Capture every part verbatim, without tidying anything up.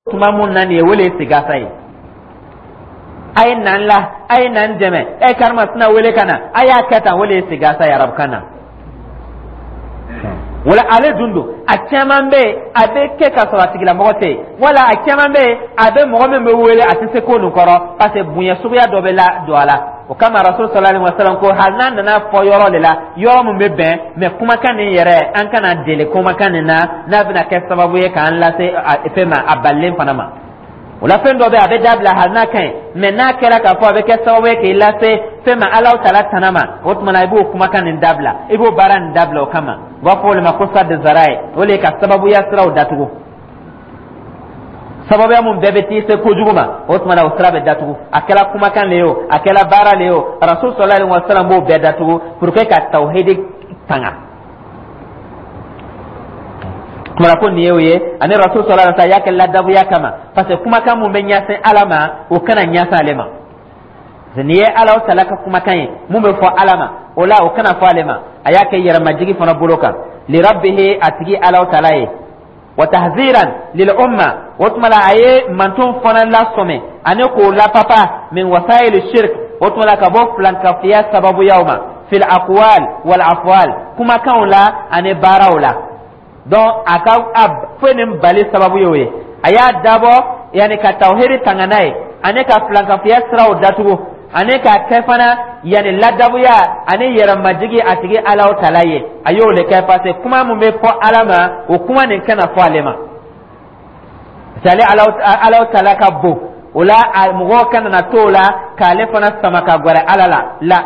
Tuma mun na nin ye, o le ye sigasa ye. A ye na n la, a ye na n dɛmɛ, e karimasina wele ka na, a y'a kɛ tan, o le ye sigasa ye arabukan na. Wala ale dun don, a caman bɛ yen, a bɛ kɛ ka sɔrɔ a tigilamɔgɔ tɛ yen, wala a caman bɛ yen, a bɛ mɔgɔ min bɛ wele, a tɛ se ko nin kɔrɔ, parce que bonya suguya dɔ bɛ la don a la. O kama Rasul sallallahu alaihi wasallam ko hali n'a nana fɔ yɔrɔ de la, yɔrɔ min bɛ bɛn, mais kumakan nin yɛrɛ, an kana deli kumakan nin na n'a bɛna kɛ sababu ye k'an lase fɛn ma, a balilen fana ma. O la, fɛn dɔ bɛ, a bɛ dabila hali n'a ka ɲi, mais n'a kɛra k'a fɔ a bɛ kɛ sababu ye k'i lase fɛn ma, Alahu Taala tana ma, o tuma na i b'o kumakan nin dabila, i b'o baara nin dabila. O kama u b'a fɔ o de ma ko saddu zara'i. O de ye ka sababuya siraw datugu. Sababuya mun bɛɛ bɛ t'i se kojugu ma, o tuma na o sira bɛ datugu. A kɛra kumakan le ye o, a kɛra baara le ye o, Rasul sallallahu alaihi wa sallam b'o bɛɛ datugu pour que ka tawhidi tanga. Kumana ko nin ye o ye. Ani Rasul sallallahu alaihi wa sallam y'a kɛ ladabuya kama, parce que kumakan mun bɛ ɲɛsin Ala ma, o kana ɲɛsin ale ma. Nin ye Ala Taala ka kumakan ye mun bɛ fɔ Ala ma, o la o kana fɔ ale ma. A y'a kɛ yɛrɛmajigi fana bolo kan li rabbihi, a tigi Ala Taala ye, wa tahziran lil umma. O tuma la, a ye manton fana lasɔmɛ ani k'o lapapa min wasail shirk, o tuma la ka bɔ filankafiya sababuyaw ma, fil aqwal wal afwal, kumakanw la ani baaraw la. Donc a ka a foyi nin bali sababu y'o ye. A y'a dabɔ yanni ka tawhidi tanga n'a ye, ani ka filankafiya siraw datugu, ani k'a kɛ fana yanni ladabuya ani yɛrɛmajigi a tigi Alaw Tala ye. A y'o de kɛ parce que kuma mun bɛ fɔ Ala ma, o kuma nin kana fɔ ale ma, parce que ale Alaw Tala ka bon. O la, a mɔgɔw kana na to o la k'ale fana sama ka gɛrɛ Ala la la.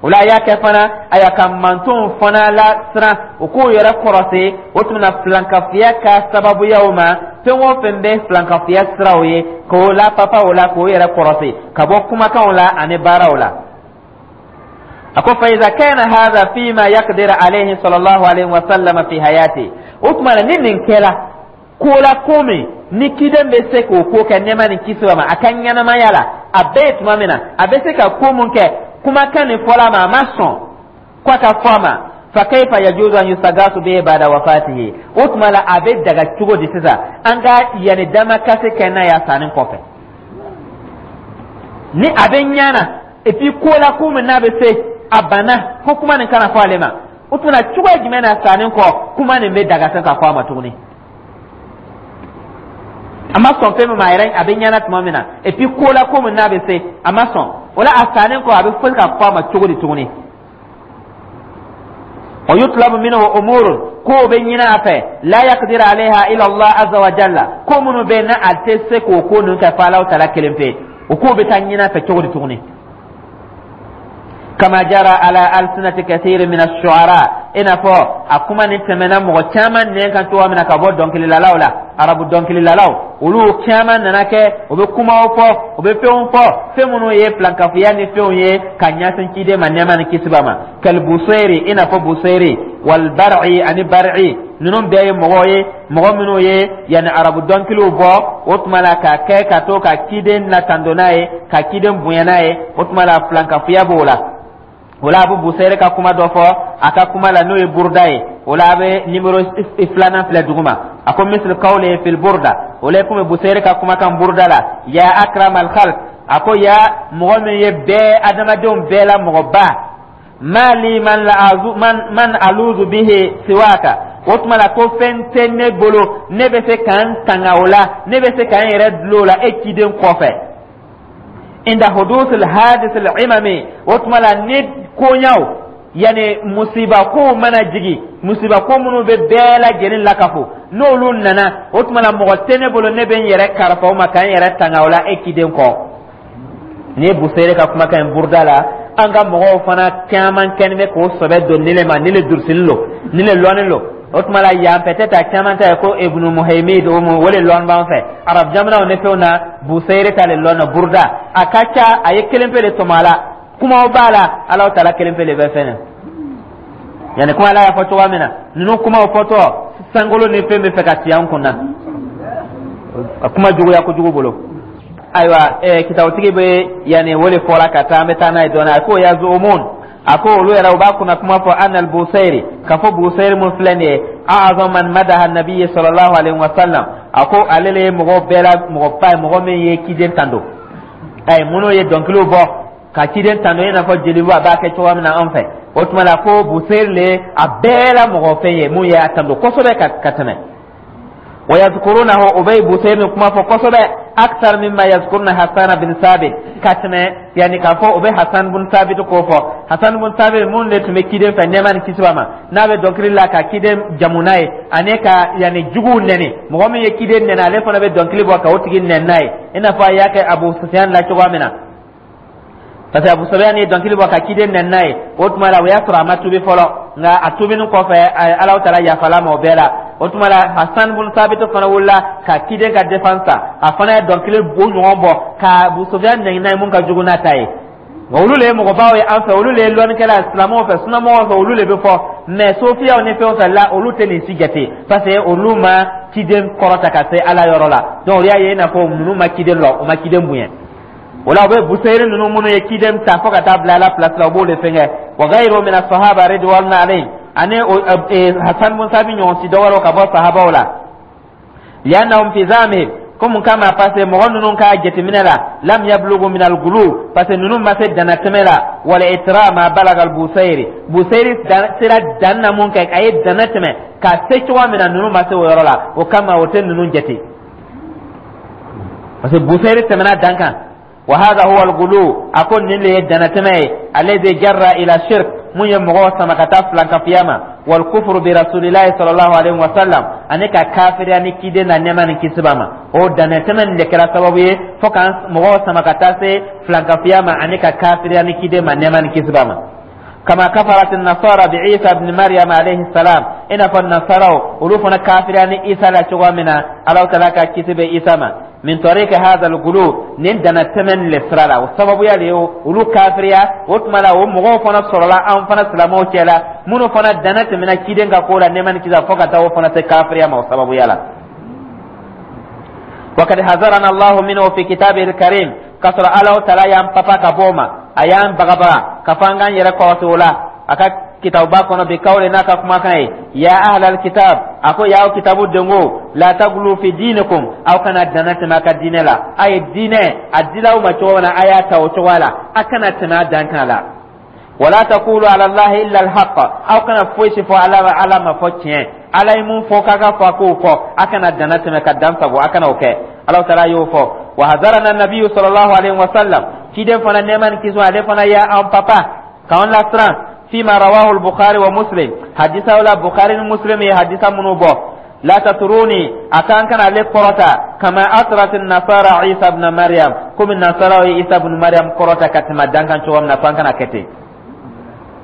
O la, a y'a kɛ fana, a y'a ka mantonw fana la siran, u k'u yɛrɛ kɔrɔsi o tuma na filankafiya ka sababuyaw ma. Fɛn o fɛn bɛ filankafiya siraw ye, k'o la papa o la, k'o yɛrɛ kɔrɔsi ka bɔ kumakanw la ani baaraw la. A ko fa iza kana hadha fima yaqdir alayhi sallallahu alayhi wa sallam fi hayati, o tuma na ni nin kɛra ko la, ko min ni kiden bɛ se k'o ko kɛ, nɛɛma ni kisi ma a ka ɲɛnamaya la, a bɛɛ ye tuma min na a bɛ se ka ko mun kɛ, kumakan nin fɔla ma, a ma sɔn ko a ka fɔ a ma, fa kayfa yajuzu an yustagasu bihi ba'da wafatihi? O tuma la, a bɛ daga cogo di sisan an ka yanni damakasi kɛ n'a y'a sanni kɔfɛ, ni a bɛ ɲana, et puis ko la, ko min n'a bɛ se, a banna ko kuma nin kana fɔ ale ma, o tuma na cogoya jumɛn na sanni kɔ kuma nin bɛ daga se ka fɔ a ma tuguni? A ma sɔn fɛn min ma, a yɛrɛ a bɛ ɲɛna tuma min na, et puis ko la, ko min n'a bɛ se, a ma sɔn o la, a sannen kɔ a bɛ fɔ ka fɔ a ma cogo di tuguni? Wa yutlabu minhu umurun, ko bɛ ɲini a fɛ, la yaqdir alayha illa Allah azza wa jalla, ko minnu bɛ na a tɛ se k'o ko ninnu kɛ fo Alahu Taala kelen pe, o ko bɛ taa ɲini a fɛ cogo di tuguni? Kama jara ala alsinati kathiri min ash-shu'ara, i n'a fɔ a kuma ni tɛmɛna mɔgɔ caman nɛn kan cogoya min na ka bɔ dɔnkililalaw la. Arabu dɔnkililalaw, olu caman nana kɛ u bɛ kumaw fɔ, u bɛ fɛnw fɔ, fɛn minnu ye filankafoya ni fɛnw ye ka ɲɛsin ciden ma, nɛɛma ni kisi b'a ma. Kal Busayri, i n'a fɔ Busayri, wal Bar'i, ani Bar'i, ninnu bɛɛ ye mɔgɔw ye, mɔgɔ minnu ye yanni arabu dɔnkiliw bɔ, o tuma la k'a kɛ ka to ka ciden latando n'a ye, ka ciden bonya n'a ye. O tuma la, filankafoya b'o la. O la, a bɛ Busayri ka kuma dɔ fɔ a ka kuma la, n'o ye Buruda ye. O la, a bɛ nimero filanan filɛ duguma. A ko misli qawli fil burda, o la komi Busayri ka kumakan Buruda la, ya akram al khalq, a ko ya mɔgɔ min ye bɛɛ adamadenw bɛɛ la mɔgɔba, ma li man la azu man man aluzu bihi siwaka, o tuma la ko fɛn tɛ ne bolo, ne bɛ se k'an tanga o la, ne bɛ se k'an yɛrɛ dulon o la e ciden kɔfɛ. Inda huduth al hadith al imami, o tuma la ni koɲaw, yani musiba kow mana jigi, musiba ko minnu bɛ bɛɛ lajɛlen lakafo, n'olu nana, o tuma la mɔgɔ tɛ ne bolo ne bɛ n yɛrɛ kalifa o ma k'an yɛrɛ tanga o la e ciden kɔ. Nin ye Busere ka kumakan ye Buruda la. An ka mɔgɔw fana caman kɛlen bɛ k'o sɔbɛ don ni le ma, ni le durusili lo, ni le lɔnni lo. O tuma la, yan peut-être a caman ta ye ko Ibnu Muhaymid, o mu o le lɔn b'an fɛ arab jamanaw ni fɛnw na. Busere ta le lɔn na Buruda, a ka ca, a ye kelen pe de tɔmɔ a la. Kumaw b'a la, Alahu Taala kelen pe de bɛ fɛn na, yanni kuma Ala y'a fɔ cogoya min na. Ninnu kumaw fɔtɔ, sankolo ni fɛn bɛ fɛ ka ci an kun na, a kuma juguya kojugu bolo. Ayiwa, ɛɛ kitabutigi bɛ yanni o de fɔra ka taa, an bɛ taa n'a ye dɔɔnin. A ko yazumun, a ko olu yɛrɛ u b'a kunna kuma fɔ anna al-Busayri, ka fɔ Busayri mun filɛ nin ye, a'azam man madaha nabiyyi sallallahu alaihi wa sallam. A ko ale le ye mɔgɔ bɛɛ la mɔgɔba ye, mɔgɔ min ye ciden tando. Ayi, minnu ye dɔnkiliw bɔ ka ciden tando, i n'a fɔ jeliba b'a kɛ cogoya min na an fɛ, o tuma la ko Buseyiri le a bɛɛ la mɔgɔ fɛn ye mun ye a tando kosɛbɛ ka ka tɛmɛ. Wa yazkurunahu, u bɛ Buseyiri kuma fɔ kosɛbɛ, akthar mimma yazkuruna Hasan bin Sabit, ka tɛmɛ, yani k'a fɔ u bɛ Hasan bin Sabit ko fɔ. Hasan bin Sabit mun de tun bɛ ciden fɛ, nɛɛma ni kisi b'a ma, n'a bɛ dɔnkili la ka ciden jamu n'a ye ani ka yani juguw nɛni. Mɔgɔ min ye ciden nɛni, ale fana bɛ dɔnkili bɔ ka o tigi nɛni n'a ye, i n'a fɔ a y'a kɛ Abu Sufyan la cogoya min na, parce que Abu Sufyan ye dɔnkili bɔ ka ciden nɛni n'a ye. O tuma la, o y'a sɔrɔ a ma tubi fɔlɔ, nka a tubinin kɔfɛ, Alahu Taala yafala ma o bɛɛ la. O tuma la, Hasan bin Sabit fana wulila ka ciden ka défense ta. A fana ye dɔnkili o ɲɔgɔn bɔ ka Abu Sufyan nɛni n'a ye, mun ka jugu n'a ta ye. Nka olu le ye mɔgɔbaw ye an fɛ, olu le ye lɔnnikɛla ye silamɛw fɛ, sunamɔgɔw fɛ, olu le bɛ fɔ. Mais sofiyaw ni fɛnw fɛ la, olu tɛ nin si jate, parce que olu ma ciden kɔrɔta ka se Ala yɔrɔ la. Donc o y'a ye i n'a fɔ ninnu ma ciden lɔ, o ma ciden bonya. O la, u bɛ Buseyiri ninnu minnu ye ciden ta fo ka taa bila Ala place la, u b'o de fɛngɛ. Wa ghayru min as-sahaba ridwanullahi alayhim, ani Hasan bin Sabit ɲɔgɔn si dɔ wɛrɛw ka bɔ sahabaw la. Li'annahum fi zamihim, komi kama, parce que mɔgɔ ninnu ka jateminɛ la, lam yablugu min al-gulu, parce que ninnu ma se danatɛmɛ la, wal itra ma balaga al-Busayri. Busayri sera dan na mun kɛ, a ye dana tɛmɛ ka se cogoya min na, ninnu ma se o yɔrɔ la. O kama, o tɛ ninnu jate, parce que Busayri tɛmɛna dan kan. Wa hadha huwa al-gulu, a ko nin de ye danatɛmɛ ye, alladhi jarra ila shirk, mun ye mɔgɔw sama ka taa filankafiya ma, wal kufru bi rasulillahi sallallahu alaihi wa sallam, ani ka kafiriya ni ciden na, nɛɛma ni kisi b'a ma. O danatɛmɛ nin de kɛra sababu ye fo ka mɔgɔw sama ka taa se filankafiya ma ani ka kafiriya ni ciden ma, nɛɛma ni kisi b'a ma. Kama kafarat nasara bi Isa ibn Maryam alayhi salam, i n'a fɔ nasaraw, olu fana kafiriya ni Isa la cogoya min na, Alahu Taala ka kisi bɛ Isa ma, min tariqi hadha al-gulu, nin dana tɛmɛ le sira la, o sababuya de ye olu kafiriya. O tuma la, o mɔgɔw fana sɔrɔla an fana silamɛw cɛ la, minnu fana dana tɛmɛna ciden ka ko la, nɛɛma ni kisi, fo ka taa o fana se kafiriya ma o sababuya la. وقد حذرنا الله منه في كتابه الكريم, kasɔrɔ Alahu Taala y'an papa ka bɔ o ma, a y'an bagabaga ka fɔ an k'an yɛrɛ kɔlɔsi o la a ka kitabuba kɔnɔ, bi kawle, n'a ka kumakan ye: ya ahlal kitab, a ko y'aw kitabu dengo, la taglu fi dinikum, aw kana dana tɛmɛ a ka diinɛ la. A ye diinɛ a dila aw ma cogo min na, a y'a ta o cogoya la, a kana tɛmɛ a dan kan la. Wala taqulu ala Allahi illa alhaq, aw kana foyi si fɔ Ala Ala ma fɔ tiɲɛ. Ala ye mun fɔ k'a ka fɔ, a k'o fɔ, a kana dana tɛmɛ ka dan sago, a kana o kɛ. Ala Taala y'o fɔ. Wa hazarana nabiyyu sallallahu alaihi wa sallam, ciden fana, nɛɛma ni kisi, ale fana y'an papa k'an lasiran, fima rawahu al-Bukhari wa Muslim, hadisa la Bukhari ni Muslim ye hadisa minnu bɔ: la tatruni, a kan kana ale kɔrɔta, kama atrat nasara Isa ibn Maryam, komi nasaraw ye Isa ibn Maryam kɔrɔta ka tɛmɛ dan kan cogo min na, fo an kana kɛ ten.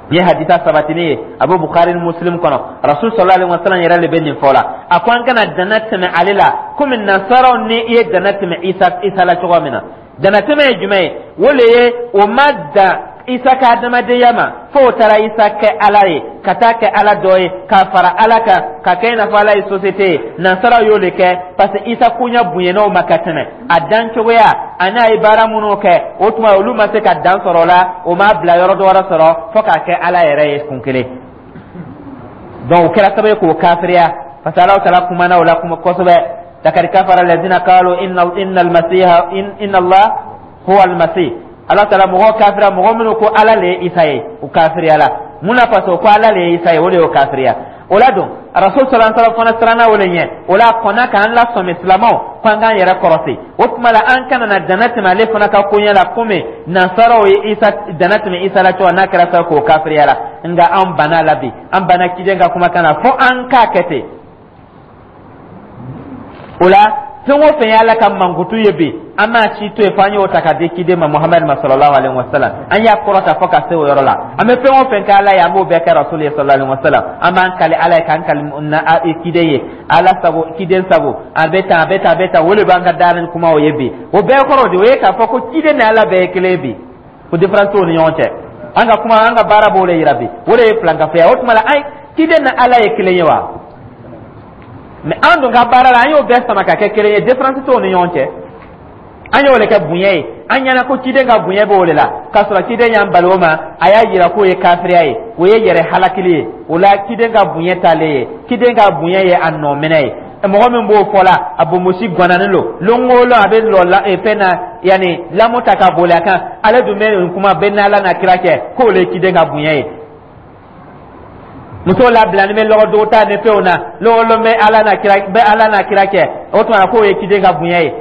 Nin ye hadisa sabatini ye, a bɛ Bukhari ni Muslim kɔnɔ. Rasul sallallahu alaihi wasallam yɛrɛ de bɛ nin fɔ la, a ko an kana dana tɛmɛ ale la komi nasaraw ni i ye dana tɛmɛ isa isa la cogo min na. Dana tɛmɛ ye jumɛn ye? O le ye o ma dan Isa ka adamadenya ma, fo o taara Isa kɛ Ala ye, ka taa kɛ Ala dɔ ye, ka fara Ala kan, ka kɛ i n'a fɔ Ala ye société ye. Nasaraw y'o de kɛ, parce que Isa koɲɛ bonyana o ma ka tɛmɛ a dan cogoya ani a ye baara minnu kɛ. O tuma, olu ma se ka dan sɔrɔ o la, o m'a bila yɔrɔ dɔ wɛrɛ sɔrɔ fo k'a kɛ Ala yɛrɛ ye kun kelen. Donc o kɛra sababu ye k'o kafiriya, parce que Alahu Taala kumana o la kuma kosɛbɛ: lakad kafara alladhina qalu inna inna almasiha inna Allah huwa almasih. Ala Taala mɔgɔ kafira, mɔgɔ minnu ko Ala le ye Isa ye, o kafiriya la. Mun na? Parce que ko Ala le ye Isa ye, o de y'o kafiriya. O la don, Rasul sallallahu alaihi wasallam fana siranna o le ɲɛ. O la, a kɔnna k'an lasɔmi silamɛw ko an k'an yɛrɛ kɔrɔsi. O tuma la, an kana na dana tɛmɛ ale fana ka koɲɛ la komi nansaraw ye Isa dana tɛmɛ Isa la cogo n'a kɛra sa k'o kafiriya la. Nka an banna la bi, an banna ciden ka kumakan na fo an k'a kɛ ten. O la, fɛn o fɛn ye Ala ka mankutu ye bi, an m'a si to yen fo an y'o ta ka di ciden ma, Muhamadu ma sallallahu alaihi wa sallam. An y'a kɔrɔta fo ka se o yɔrɔ la. An bɛ fɛn o fɛn kɛ Ala ye, an b'o bɛɛ kɛ Rasul ye sallallahu alaihi wa sallam. An b'an kali Ala ye k'an kali na ciden ye, Ala sago, ciden sago. A bɛ tan, a bɛ tan, a bɛ tan. O de b'an ka daara ni kumaw ye bi. O bɛɛ kɔrɔ de o ye k'a fɔ ko ciden ni Ala bɛɛ ye kelen ye bi, ko différence t'o ni ɲɔgɔn cɛ. An ka kuma, an ka baara b'o de yira bi. O de ye filankafoya. O tuma la, an ciden ni Ala ye kelen ye wa? Mais an dun ka baara la, an y'o bɛɛ sama ka kɛ kelen ye, différence t'o ni ɲɔgɔn cɛ. An y'o de kɛ bonya ye, an ɲɛna ko ciden ka bonya b'o de la, k'a sɔrɔ ciden y'an bali o ma. A y'a yira k'o ye kafiriya ye, o ye yɛrɛ halakili ye. O la, ciden ka bonya t'ale ye, ciden ka bonya ye a nɔ minɛ ye. Mɔgɔ min b'o fɔ la, a bonbosi gannanin lo. Lon o lon a bɛ lɔ la fɛn na, yanni lamu ta ka boli a kan. Ale dun bɛ nin kuma bɛɛ n'Ala n'a kira cɛ, k'o le ye ciden ka bonya ye. Muso labilani bɛ lɔgɔ ta ni fɛnw na, lɔgɔ bɛ Ala n'a kira, bɛ Ala n'a kira cɛ. O tuma na k'o ye ciden ka bonya ye.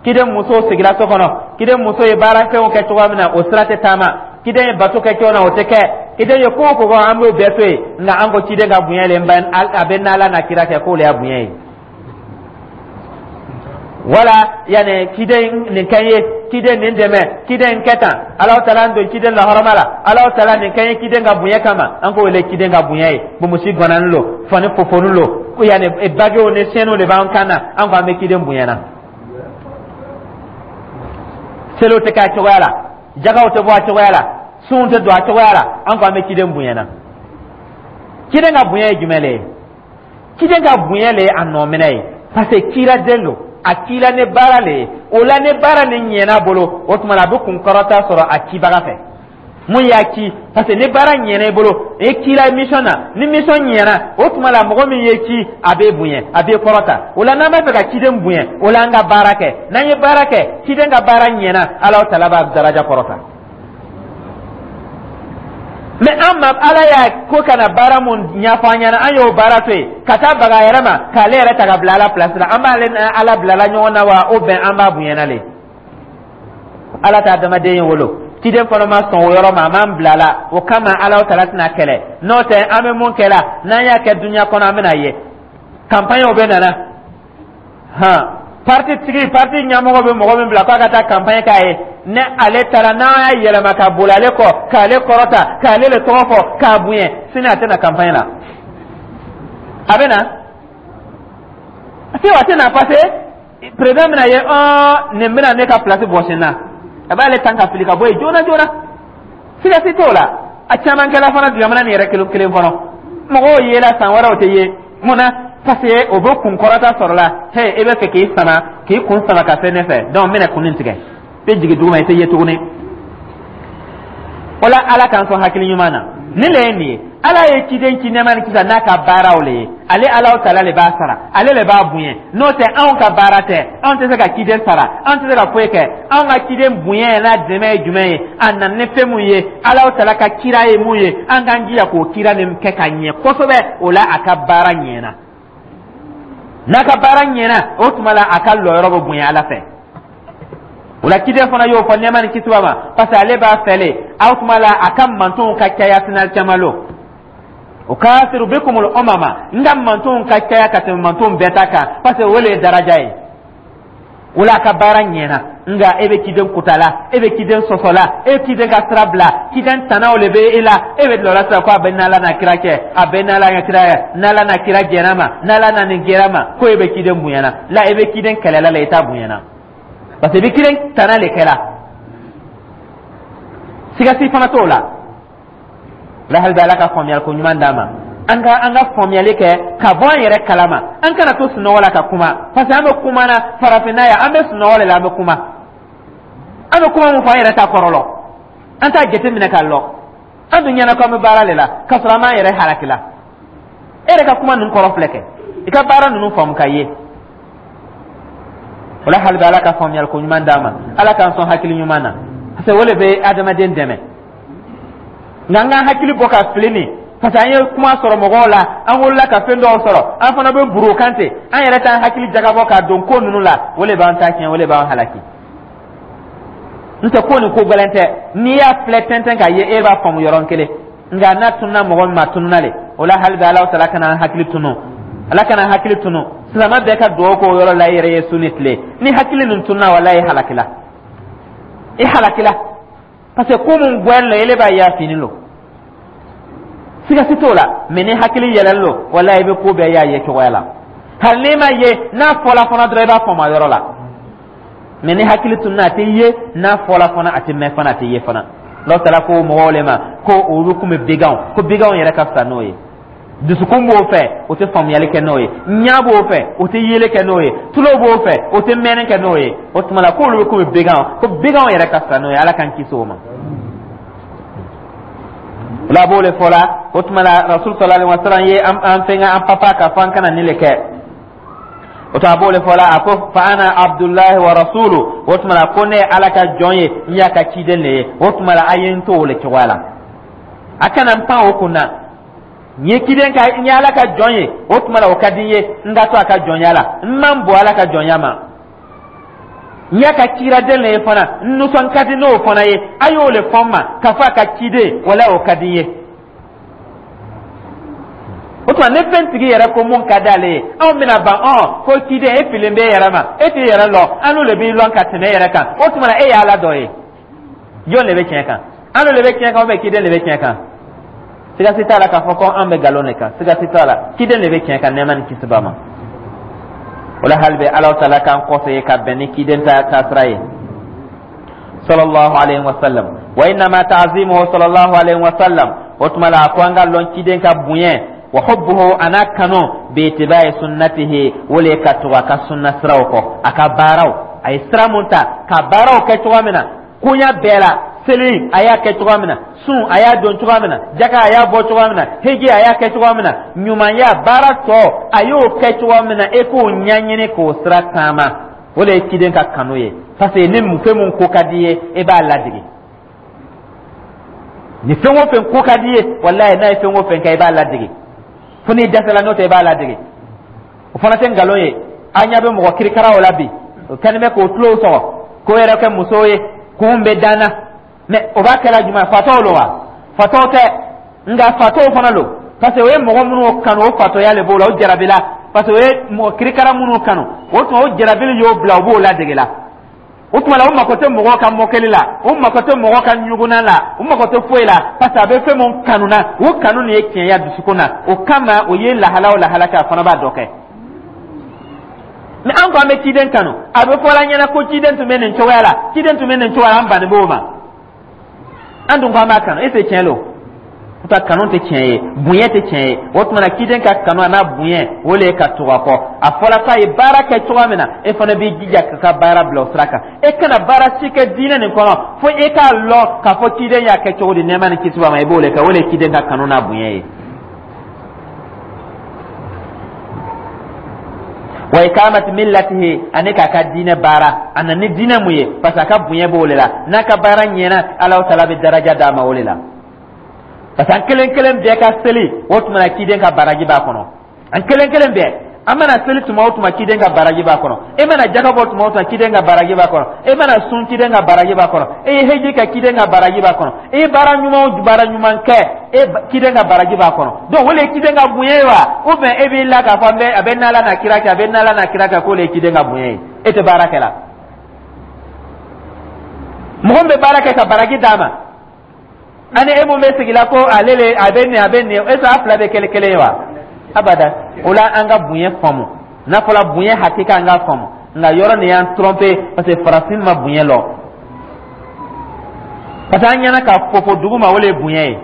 Ciden muso sigira so kɔnɔ, ciden muso ye baara fɛnw kɛ cogoya min na, o sira tɛ taama. Ciden ye bato kɛ cogo min na, o tɛ kɛ. Ciden ye ko o ko kɔ, an b'o bɛɛ to yen. Nka an ko ciden ka bonya le a bɛ n'Ala n'a kira kɛ, k'o le y'a bonya ye. Wala yanni ciden nin kɛ n ye, ciden nin dɛmɛ, ciden kɛ tan, Alahu taala don ciden lahɔrɔma la, Alahu taala nin kɛ n ye ciden ka bonya kama, an k'o le ciden ka bonya ye. Bonbosi gannanin lo, fani fofoni lo, ko yanni baguew ni sɛniw de b'an kan na, an ko an bɛ ciden bonya na. Seliw tɛ kɛ a cogoya la, jakaw tɛ bɔ a cogoya la, sunw tɛ don a cogoya la, an ko an bɛ ciden bonya na. Ciden ka bonya ye jumɛn le ye? Ciden ka bonya le ye a nɔminɛ ye, parce que ciraden don, a cila ni baara le ye. O la, ni baara ni ɲɛna bolo, o tuma na a bɛ kunkɔrɔta sɔrɔ a cibaga fɛ mun y'a ci, parce que ni baara ɲɛna i bolo, i cila mission na, ni mission ɲɛna, o tuma la mɔgɔ min ye ci, a b'e bonya, a b'e kɔrɔta. O la, n'an b'a fɛ ka ciden bonya, o la an ka baara kɛ. N'an ye baara kɛ, ciden ka baara ɲɛna, Alahu taala b'a daraja kɔrɔta. Mɛ an ma Ala y'a ko ka na baara mun ɲɛfɔ an ɲɛna, an y'o baara to yen ka taa baga a yɛrɛ ma, k'ale yɛrɛ ta ka bila Ala place la. An b'ale Ala bilala ɲɔgɔn na wa? O bɛn an b'a bonyana le. Ala t'a adamaden ye wolo, ciden fana ma sɔn o yɔrɔ ma, a m'an bila la. O kama Ala taala tɛna kɛlɛ. N'o tɛ, an bɛ mun kɛ la? N'an y'a kɛ dunuya kɔnɔ, an bɛna ye campagne bɛ nana han. Parti tigi, parti ɲɛmɔgɔ bɛ mɔgɔ min bila k'a ka taa campagne k'a ye, ni ale taara, n'an y'a yɛlɛma ka boli ale kɔ, k'ale kɔrɔta, k'ale le tɔgɔ fɔ, k'a bonya, sini a tɛna campagne la. A bɛ na se wa? A tɛ na, parce que président bɛna ye ɔɔ nin bɛna ne ka place bɔsi n na. A b'ale tan ka fili ka bɔ yen joona joona, siga si t'o la. A caman kɛla fana jamana nin yɛrɛ kelen kelen kɔnɔ, mɔgɔw yela, san wɛrɛ o tɛ ye. Mun na? Parce que o bɛ kun kɔrɔta sɔrɔ la. He, e bɛ fɛ k'i sama, k'i kun sama ka se ne fɛ, donc n bɛna kun nin tigɛ, i bɛ jigin duguma, i tɛ ye tuguni. O la, Ala k'an sɔn hakili ɲuman na. Nin le ye nin ye. Ala ye ciden ci nɛɛma ni kisa n'a ka baaraw le ye. Ale Alahu taala le b'a sara, ale le b'a bonya. N'o tɛ, anw ka baara tɛ. Anw tɛ se ka ciden sara, anw tɛ se ka foyi kɛ. Anw ka ciden bonya n'a dɛmɛ ye jumɛn ye? A nana ni fɛn mun ye, Alahu taala ka kira ye mun ye, an k'an jija k'o kira nin kɛ ka ɲɛ kosɛbɛ. O la, a ka baara ɲɛna. N'a ka baara ɲɛna, o tuma la a ka lɔyɔrɔ bɛ bonya Ala fɛ. O la, ciden fana y'o fɔ nɛɛma ni kisi ma, parce que ale b'a fɛle aw tuma la a ka mantonw ka caya sinal caman lo. Ukasiru bikumul umama, n ka mantonw ka caya ka tɛmɛ mantonw bɛɛ ta kan, parce que o le ye daraja ye. O la, a ka baara ɲɛna. Nka e bɛ ciden kutala, e bɛ ciden sɔsɔla, e bɛ ciden ka sira bila, ciden tanaw le bɛ e la. E bɛ lɔ la sisan ko a bɛ n'Ala n'a kira cɛ, a bɛ n'Ala n'a kira ye, n'Ala n'a kira jɛn'a ma, n'Ala n'a nin gɛrɛ ma, ko e bɛ ciden bonyana la. E bɛ ciden kɛlɛla la, i t'a bonyana, parce que i bɛ ciden tana le kɛla. Siga si fana t'o la. La hali bɛ Ala ka faamuyali ko ɲuman d'an ma, an ka an ka faamuyali kɛ ka bɔ an yɛrɛ kalama. An kana to sunɔgɔ la ka kuma, parce que an bɛ kuma na farafinna yan, an bɛ sunɔgɔ de la, an bɛ kuma, an bɛ kuma mun fɔ, an yɛrɛ t'a kɔrɔ lɔ, an t'a jateminɛ k'a lɔ. An dun ɲɛna ko an bɛ baara de la, k'a sɔrɔ an b'an yɛrɛ halaki la. E yɛrɛ ka kuma ninnu kɔrɔ filɛ kɛ, i ka baara ninnu faamu ka ye. O la, hali bɛ Ala ka faamuyali ko ɲuman d'an ma, Ala k'an sɔn hakili ɲuman na, parce que o de bɛ adamaden dɛmɛ. Nka an k'an hakili bɔ ka fili nin, parce que an ye kuma sɔrɔ mɔgɔw la, an wolola ka fɛn dɔw sɔrɔ, an fana bɛ buru kan ten, an yɛrɛ t'an hakili jagabɔ k'a don ko ninnu la. O de b'an ta tiɲɛ, o de b'an halaki. N tɛ ko nin ko gɛlɛn tɛ. N'i y'a filɛ tɛntɛn k'a ye, e b'a faamu yɔrɔnin kelen. Nka n'a tununa mɔgɔ min ma, tununa le. O la, hali bɛ Ala taala kana an hakili tunu, Ala kana an hakili tunu. Silamɛ bɛɛ ka dugawu k'o yɔrɔ la i yɛrɛ ye su ni tile. Ni hakili nin tununa, walahi, i halakila, i halakila, parce que ko mun gwɛn lo, ele b'a ye a fini lo, siga si t'o la. Mɛ ni hakili yɛlɛn lo, walahi, i bɛ ko bɛɛ y'a ye cogoya la. Hali n'i ma ye, n'a fɔla fana dɔrɔn, i b'a faamu a yɔrɔ la. Mɛ ni hakili tununa, a tɛ ye. N'a fɔla fana, a tɛ mɛn fana, a tɛ ye fana. N'aw taara ko mɔgɔw le ma ko olu kun bɛ beganw, ko beganw yɛrɛ ka fisa n'o ye. Dusukun b'o fɛ, o tɛ faamuyali kɛ n'o ye. Ɲa b'o fɛ, o tɛ yeli kɛ n'o ye. Tulo b'o fɛ, o tɛ mɛnni kɛ n'o ye. O tuma la, k'olu bɛ komi beganw, ko beganw yɛrɛ ka fisa n'o ye. Ala k'an kisi o ma. O la, a b'o le fɔ la. O tuma la, Rasul sallallahu alaihi wa sallam ye an an fɛngɛ, an papa, k'a fɔ an kana nin le kɛ. O to a b'o le fɔ la, a ko: "Fa ana abdullahi wa rasulu." O tuma la, ko ne ye Ala ka jɔn ye, n y'a ka ciden de ye. O tuma la, a ye n to o le cogoya la, a kana n pan o kunna. N ye ciden ka, n ye Ala ka jɔn ye. O tuma la, o ka di n ye n ka to a ka jɔnya la, n man bɔ Ala ka jɔnya ma. N y'a ka ciraden le ye fana, n nisɔn ka di n'o fana ye. A y'o le fɔ n ma k'a fɔ a ka ciden, wala o ka di n ye. O tuma, ni fɛn tigi yɛrɛ ko mun ka d'ale ye, anw bɛna ban ɔn ko ciden e filen b'e yɛrɛ ma, e t'i yɛrɛ lɔn, an n'o de b'i lɔn ka tɛmɛ e yɛrɛ kan. O tuma na, e y'Ala dɔ ye. Jɔn de bɛ tiɲɛ kan? An n'o de bɛ tiɲɛ kan ou bien ciden de bɛ tiɲɛ kan? Siga si t'a la k'a fɔ ko an bɛ nkalon de kan. Siga si t'a la, ciden de bɛ tiɲɛ kan, nɛɛma ni kisi b'a ma. O la, hali bɛ Ala taala k'an kɔfɛ ye ka bɛn ni ciden ta taasira ye, sallallahu alayhi wa sallam. Wa innama ta'zimuhu sallallahu alayhi wa sallam. O tuma la, a ko an ka lɔn ciden ka bonya, wa hubbuhu, ana kanu, bi ittiba'i sunnatihi, o le ka tugu a ka sunna siraw kɔ, a ka baaraw, a ye sira mun ta ka baaraw kɛ cogoya min na, koɲa bɛɛ la. Seli, a y'a kɛ cogoya min na, sun, a y'a don cogoya min na, jaka, a y'a bɔ cogoya min na, heji, a y'a kɛ cogoya min na, ɲumanya baara tɔ, a y'o kɛ cogoya min na, e k'o ɲɛɲini k'o sira taama. O de ye ciden ka kanu ye, parce que ni fɛn mun ko ka di ye, e b'a ladege. Ni fɛn o fɛn ko ka di ye, walayi, n'a ye fɛn o fɛn kɛ, i b'a ladege fo n'i dɛsɛla. N'o tɛ, i b'a ladege. O fana tɛ nkalon ye. An ɲɛ bɛ mɔgɔ kirikaraw la bi, o kɛlen bɛ k'o tulow sɔgɔ k'o yɛrɛ kɛ musow ye, kun bɛ dan na. Mɛ o b'a kɛla jumɛn? Fatɔw lo wa? Fatɔw tɛ, nka fatɔw fana lo, parce que o ye mɔgɔ minnu kanu, o fatɔya le b'o la, o jarabila, parce que o ye mɔgɔ kirikara minnu kanu. O tuma, o jarabili y'o bila, o b'o ladege la. O tuma la, o mako tɛ mɔgɔw ka mɔkɛli la, o mako tɛ mɔgɔ ka ɲugunna la, o mako tɛ foyi la, parce que a bɛ fɛn mun kanu na, o kanu nin ye tiɲɛya dusukun na. O kama, o ye lahala o lahala kɛ, a fana b'a dɔ kɛ. Mɛ an ko an bɛ ciden kanu, a bɛ fɔ la ɲɛna ko ciden tun bɛ nin cogoya la, ciden tun bɛ nin cogoya la, an bannen b'o ma. An dun ko an b'a kanu, e tɛ tiɲɛ lo? O ta kanu tɛ tiɲɛ ye, bonya tɛ tiɲɛ ye. O tuma na, ciden ka kanu a n'a bonya, o le ye ka tugu a kɔ. A fɔra k'a ye baara kɛ cogoya min na, e fana b'i jija ka ka baara bila o sira kan. E kana baara si kɛ diinɛ nin kɔnɔ fo e k'a lɔn k'a fɔ ciden y'a kɛ cogo di, nɛɛma ni kisi b'a ma. I b'o le kɛ. O le ye ciden ka kanu n'a bonya ye. Wa ikamati millatihi, ani k'a ka diinɛ baara. A na ni diinɛ mun ye? Parce que a ka bonya b'o le la. N'a ka baara ɲɛna, Alahu taala bɛ daraja d'a ma o le la, parce que an kelen kelen bɛɛ ka seli, o tuma na, ciden ka baraji b'a kɔnɔ. An kelen kelen bɛɛ, an mana seli tuma o tuma, ciden ka baraji b'a kɔnɔ. E mana jaka bɔ tuma o tuma, ciden ka baraji b'a kɔnɔ. E mana sun, ciden ka baraji b'a kɔnɔ. E ye heji kɛ, ciden ka baraji b'a kɔnɔ. E ye baara ɲuman o baara ɲuman kɛ, e ciden ka baraji b'a kɔnɔ. Donc o le ye ciden ka bonya ye wa? Ou bien e b'i la k'a fɔ n bɛ a bɛ n'Ala n'a kira kɛ, a bɛ n'Ala n'a kira kɛ, k'o le ye ciden ka bonya ye? E tɛ baara kɛ la. Mɔgɔ min bɛ baara kɛ ka baraji d'a ma, ani e mun bɛ sigi la ko ale le a bɛ nin, a bɛ nin, est ce que a fila bɛ kɛlɛ kelen ye wa? Abada. O la, an ka bonya faamu. N'a fɔra bonya hakika, an ka faamu. Nka yɔrɔ nin y'an tromper, parce que farafin ma bonya lɔn, parce que an ɲɛna ka fofo dugu ma, o le ye bonya ye,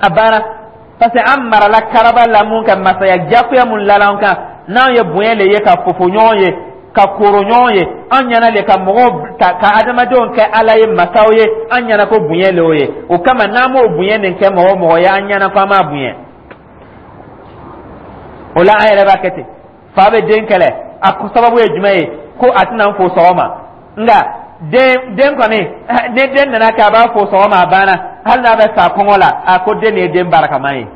a banna. Parce que an marala karaba la mun ka masaya jagoya mun lala an kan, n'anw ye bonya le ye ka fofo ɲɔgɔn ye, ka koro ɲɔgɔn ye, an ɲɛna le ka mɔgɔw ka ka adamadenw kɛ Ala ye, masaw ye. An ɲɛna ko bonya le o ye. O kama, n'an m'o bonya nin kɛ mɔgɔ o mɔgɔ ye, an ɲɛna ko an m'a bonya. O la, an yɛrɛ b'a kɛ ten. Fa bɛ den kɛlɛ, a sababu ye jumɛn ye? Ko a tɛna n fo sɔgɔma. Nka den den kɔni, ni den nana kɛ a b'a fo sɔgɔma, a banna, hali n'a bɛ sa kɔngɔ la, a ko den de ye den barikama ye.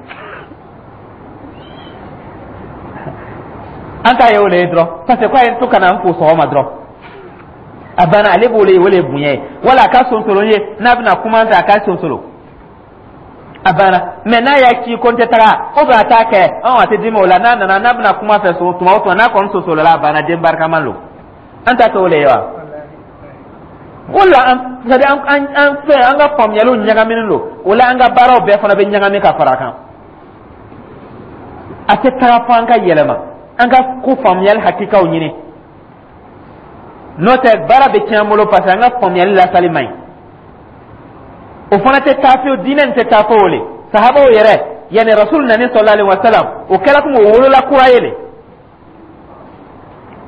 An ta ye o le ye dɔrɔn, parce que k'a ye to ka na n fo sɔgɔma dɔrɔn, a banna. Ale b'o le ye, o le ye bonya ye. Wala a ka sonsoro ye, n'a bɛna kuma fɛ, a ka sonsoro, a banna. Mɛ n'a y'a ci ko n tɛ taga, o bɛ a t'a kɛ, ɔn a tɛ dimi o la. N'a nana, n'a bɛna kuma fɛ so tuma o tuma, n'a kɔni sonsorola, a banna, den barikama lo. An ta kɛ o le ye wa? O la, an c'est à dire an an an fɛ, an ka faamuyaliw ɲagaminen don. O la, an ka baaraw bɛɛ fana bɛ ɲagami ka fara a kan. A tɛ taga fo an ka yɛlɛma, an ka ko faamuyali hakikaw ɲini. N'o tɛ, baara bɛ tiɲɛ an bolo, parce que an ka faamuyali lasali man ɲi. O fana tɛ taa fiyewu, diinɛ nin tɛ taa fo o le. Sahabaw yɛrɛ, yanni Rasul nani sallallahu alaihi wa sallam, o kɛra komi o wolola kura ye le,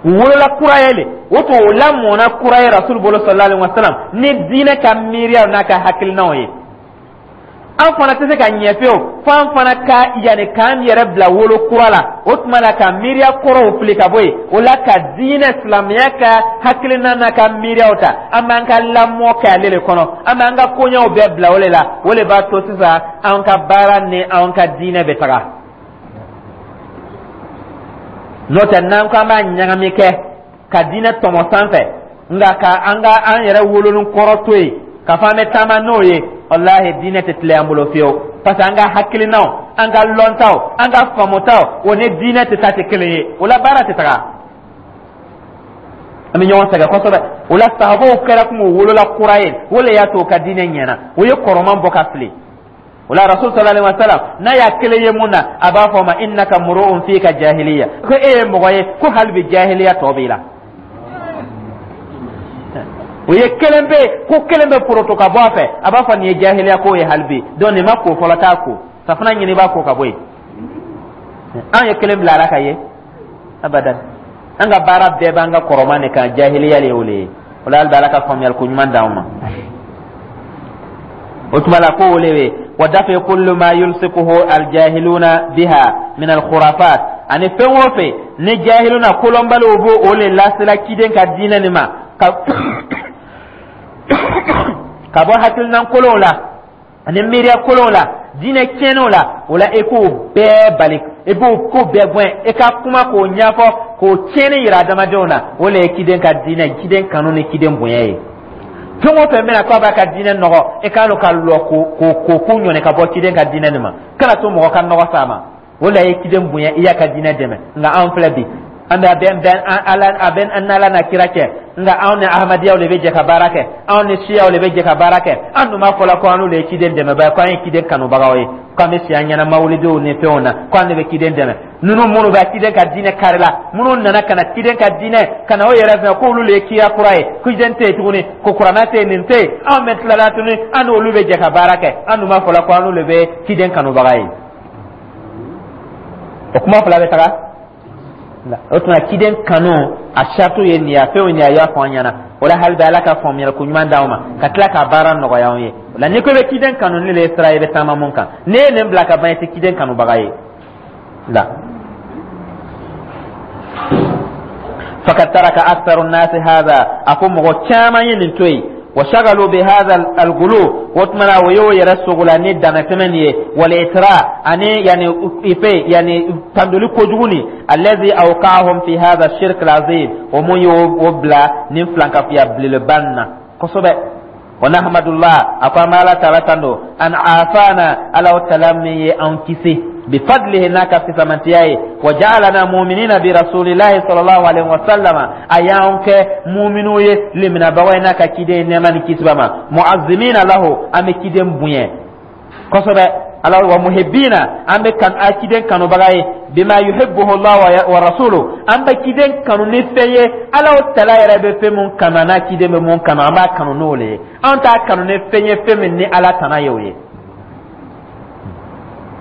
u wolola kura ye le. O tun o lamɔna kura ye Rasul bolo sallallahu alaihi wa sallam, ni diinɛ ka miiriyaw n'a ka hakilinaw ye. An fana tɛ se ka ɲɛ fiyewu fo an fana ka yanni k'an yɛrɛ bila wolo kura la. O tuma la, ka miiriya kɔrɔw fili ka bɔ yen, o la ka diinɛ silamɛya ka hakilina n'a ka miiriyaw ta. An b'an ka lamɔ kɛ ale de kɔnɔ, an b'an ka koɲɛw bɛɛ bila o de la. O de b'a to sisan an ka baara ni an ka diinɛ bɛ taga. N'o tɛ, n'an ko an b'a ɲagami kɛ ka diinɛ tɔmɔ sanfɛ, nka ka an ka an yɛrɛ wolonin kɔrɔ to yen ka fɔ an bɛ taama n'o ye, walahi, diinɛ tɛ tilen an bolo fiyewu, parce que an ka hakilinaw, an ka lɔntaw, an ka faamutaw, o ni diinɛ tɛ taa, tɛ kelen ye. O la, baara tɛ taga, an bɛ ɲɔgɔn sɛgɛn kosɛbɛ. O la, sahabaw kɛra komi u wolola kura ye. O le y'a to u ka diinɛ ɲɛna, o ye kɔrɔman bɔ ka fili. O la, Rasul sallallahu alaihi wasallam, n'a y'a kelen ye mun na, a b'a fɔ ma: innaka muru'un fika jahiliya, ko e ye mɔgɔ ye ko hali bi jahiliya tɔ b'i la. O ye kelen bɛ ko kelen bɛ poroto ka bɔ a fɛ, a b'a fɔ nin ye jahiliya ko ye hali bi. Donc nin ma ko fɔlɔ, t'a ko safunɛ ɲini, i b'a ko ka bɔ yen. An ye kelen bila ala ka ye abadan. An ka baara bɛɛ b'an ka kɔrɔman de kan, jahiliya de ye o le ye. O la, hali bi Ala ka faamuyali ko ɲuman d'anw ma. O tuma la, ko o le ye wa dafi kullu ma yulsikuhu aljahiluna biha min alkhurafat, ani fɛn o fɛn ni jahiluna, kolɔnbaliw b'o o le lasela ciden ka diinɛ nin ma ka ka bɔ hakilinan kolonw la ani miiriya kolonw la, diinɛ tiɲɛnenw la. O la, e k'o bɛɛ bali, e b'o ko bɛɛ gɛn, e ka kuma k'o ɲɛfɔ, k'o tiɲɛni yira adamadenw na. O le ye ciden ka diinɛ, ciden kanu ni ciden bonya ye. Fɛn o fɛn bɛna k'a b'a ka diinɛ nɔgɔ, e k'a dɔn ka lɔ k'o k'o ko ɲɔni ka bɔ ciden ka diinɛ nin ma. Kana to mɔgɔ ka nɔgɔ s'a ma. O la ye ciden bonya, i y'a ka diinɛ dɛmɛ. Nka anw filɛ bi, an bɛ a bɛ bɛn ala, a bɛ an n'Ala n'a kira cɛ, nka anw ni Ahmadiyaw de bɛ jɛ ka baara kɛ, anw ni Siyaw de bɛ jɛ ka baara kɛ. An dun b'a fɔ la ko an n'olu ye ciden dɛmɛbaa ye, ko an ye ciden kanubagaw ye, ko an bɛ si an ɲɛna mawulidiw ni fɛnw na, ko an de bɛ ciden dɛmɛ. Ninnu minnu bɛ ciden ka diinɛ kari la, minnu nana ka na ciden ka diinɛ ka na o yɛrɛ fɛ k'olu de ye kiya kura ye, ko ciden tɛ yen tuguni, ko Kuranɛ tɛ yen, nin tɛ yen, anw bɛ tilala tuguni, an n'olu bɛ jɛ ka baara kɛ. An dun b'a fɔ la ko an n'olu de bɛ ciden kanubaga ye. O kuma fila bɛ taga. O tuma, ciden kanu a saratu ye nin ye, a fɛnw nin ye, a y'a fɔ an ɲɛna. O la, hali bi Ala ka faamuyali ko ɲuman d'anw ma ka tila k'a baara nɔgɔya anw ye. O la, n'i ko i bɛ ciden kanu, ni le ye sira ye i bɛ taama mun kan, n'e ye nin bila ka ban, i tɛ ciden kanubaga ye la. Fakad taraka aktharu nnasi hadha, a ko mɔgɔ caman ye nin to yen. Wa shagalu bi hadha al-gulu, o tuma na o y'o yɛrɛ sogola ni damatɛmɛ nin ye, wal itra, ani yani ife, yani tandoli kojugu nin, allazi awqa'ahum fi hadha shirk al-azim, o mun y'o bila nin filankafiya belebeleba nin na kosɛbɛ. Wa nahmadullah, a ko an bɛ Ala taala tando, an afana, Ala taala min ye an kisi, bifadlihi, n'a ka fisamantiya ye, wa ja'alana mu'minina bi rasulillahi sallallahu alaihi wa sallama, a y'an kɛ muminu ye, liminabagaw ye n'a ka ciden ye, nɛɛma ni kisi b'a ma, mu'azzimina lahu, an bɛ ciden bonya kosɛbɛ, ala wa muhibbina, an bɛ kan a ciden kanubaga ye, bima yuhibbuhu Allah wa rasuluhu, an bɛ ciden kanu ni fɛn ye Ala tala yɛrɛ bɛ fɛn mun kanu, n'a ciden bɛ mun kanu, an b'a kanu n'o le ye. An t'a kanu ni fɛn ye, fɛn min ni Ala tana ye o ye.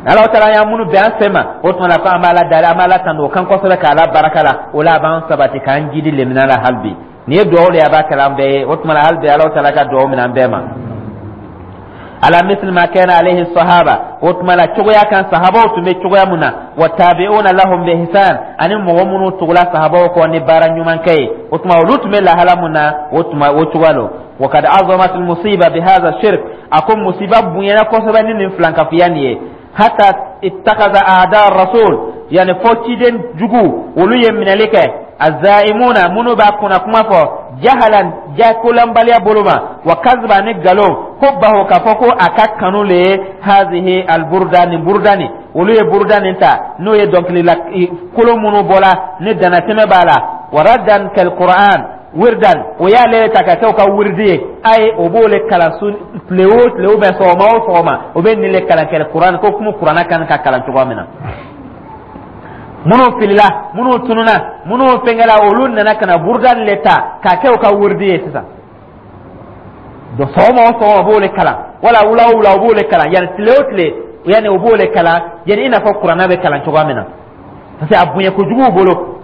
Ala taala y'an minnu bɛn an fɛ ma, o tuma na ko an b'a la dari, an b'a la tanu o kan kosɛbɛ, k'Ala baraka la. O la, a b'an sabati k'an jidi lemina la. Hali bi nin ye dugawu de ye, a b'a kɛla an bɛɛ ye. O tuma na, hali bi Ala taala ka dugawu minɛ an bɛɛ ma. Ala misli ma kana alayhi sahaba, o tuma la cogoya kan sahabaw tun bɛ cogoya mun na, wa tabi'una lahum bi ihsan, ani mɔgɔ minnu tugula sahabaw kɔ ni baara ɲuman kɛ ye, o tuma olu tun bɛ lahala mun na, o tuma o cogoya lo. Wa kad azamat al musiba bi hadha shirk, a ko musiba bonyana kosɛbɛ ni nin filankafiya nin ye, hatta ittakaza a'da rasul, yani fo ciden jugu olu ye minɛli kɛ, azaimuna, minnu b'a kunna kuma fɔ, jahalan, jakolanbaliya bolo ma, wa kaziba, ni galon, ko baho k'a fɔ ko a ka kanu le ye hazihi alburda, nin buruda nin. Olu ye buruda nin ta, n'o ye dɔnkilila kolon minnu bɔla ni danatɛmɛ b'a la, wa raddan kal Qur'an wirdan, o y'ale ta ka kɛ o ka wirdi ye. Ayi, o b'o le kalan su tile o tile, ou bien sɔgɔma o sɔgɔma, o bɛ nin le kalan kɛ Kuran ko kuma Kuranna kan ka kalan cogoya min na. Minnu filila, minnu tununa, minnu fɛnkɛla, olu nana ka na buruda le ta k'a kɛ o ka wirdi ye sisan. Donc sɔgɔma o sɔgɔma, o b'o le kalan, wala wula o wula, o b'o le kalan, yanni tile o tile, yanni o b'o le kalan, yanni i n'a fɔ Kuranna bɛ kalan cogoya min na, parce que a bonya kojugu u bolo.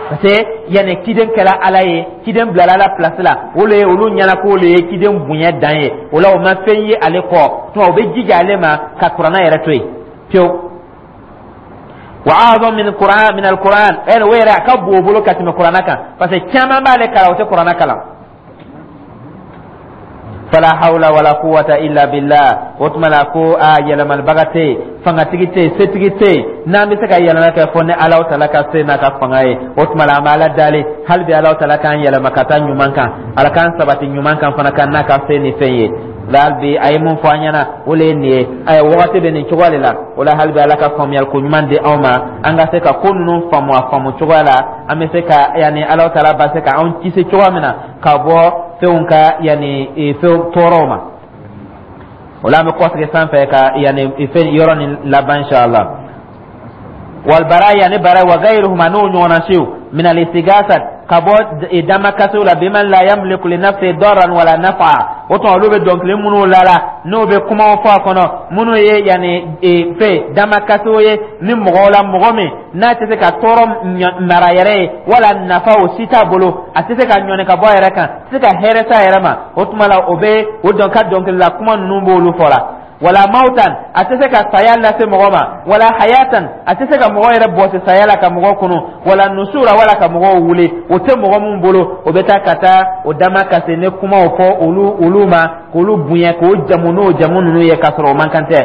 Parce que yanni ciden kɛra Ala ye, ciden bilala Ala place la, o le ye olu ɲɛna k'o le ye ciden bonya dan ye. O la, o ma fɛn ye ale kɔ tuma, o bɛ jija ale ma ka Kuranɛ yɛrɛ to yen pewu. Wa a'zam min Qur'an, min al-Qur'an, ɛn o yɛrɛ a ka bon o bolo ka tɛmɛ Kuranɛ kan, parce que caman b'ale kalan, o tɛ Kuranɛ kalan. Fala hawla wala quwwata illa billah. O tuma la ko a yɛlɛmalibaga tɛ yen, fangatigi tɛ yen, setigi tɛ yen, n'an bɛ se ka yɛlɛma kɛ fɔ ni Alahu Taala ka se n'a ka fanga ye. O tuma la, an bɛ Ala dali hali bi, Alahu Taala k'an yɛlɛma ka taa ɲuman kan, Ala k'an sabati ɲuman kan fana kan n'a ka se ni fɛn ye. La hali bi a ye mun fɔ an ɲɛna, o le ye nin ye. Ayiwa, wagati bɛ nin cogoya de la. O la, hali bi Ala ka faamuyali ko ɲuman di anw ma, an ka se ka ko ninnu faamu a faamu cogoya la, an bɛ se ka yanni Alahu Taala ba se ka anw kisi cogoya min na ka bɔ fɛnw ka yanni fɛnw tɔɔrɔw ma. O la, an bɛ kɔsigi sanfɛ ka yanni fɛn yɔrɔ nin laban, inshallah. Walbaraya ni bara wa gairuhuma, n'o ɲɔgɔnna siw, min al-istighatha, ka bɔ damakasiw la, biman la yamliku li nafsi darran wala nafa. O tuma, olu bɛ dɔnkili minnu lala, n'o bɛ kumaw fɔ a kɔnɔ minnu ye yanni fɛn damakasiw ye ni mɔgɔw la, mɔgɔ min n'a tɛ se ka tɔɔrɔ mara yɛrɛ ye wala nafa, o si t'a bolo, a tɛ se ka ɲɔni ka bɔ a yɛrɛ kan, a tɛ se ka hɛrɛ s'a yɛrɛ ma. O tuma la, o bɛ o dɔn ka dɔnkilila kuma ninnu b'olu fɔ la. Wala mautan, a tɛ se ka saya lase mɔgɔ ma, wala hayatan, a tɛ se ka mɔgɔ yɛrɛ bɔsi saya la ka mɔgɔ kunu, wala nusura, wala ka mɔgɔw wuli, o tɛ mɔgɔ min bolo, o bɛ taa ka taa o dama kasi ni kumaw fɔ olu olu ma, k'olu bonya, k'o jamu n'o jamu ninnu ye, k'a sɔrɔ o man kan tɛ.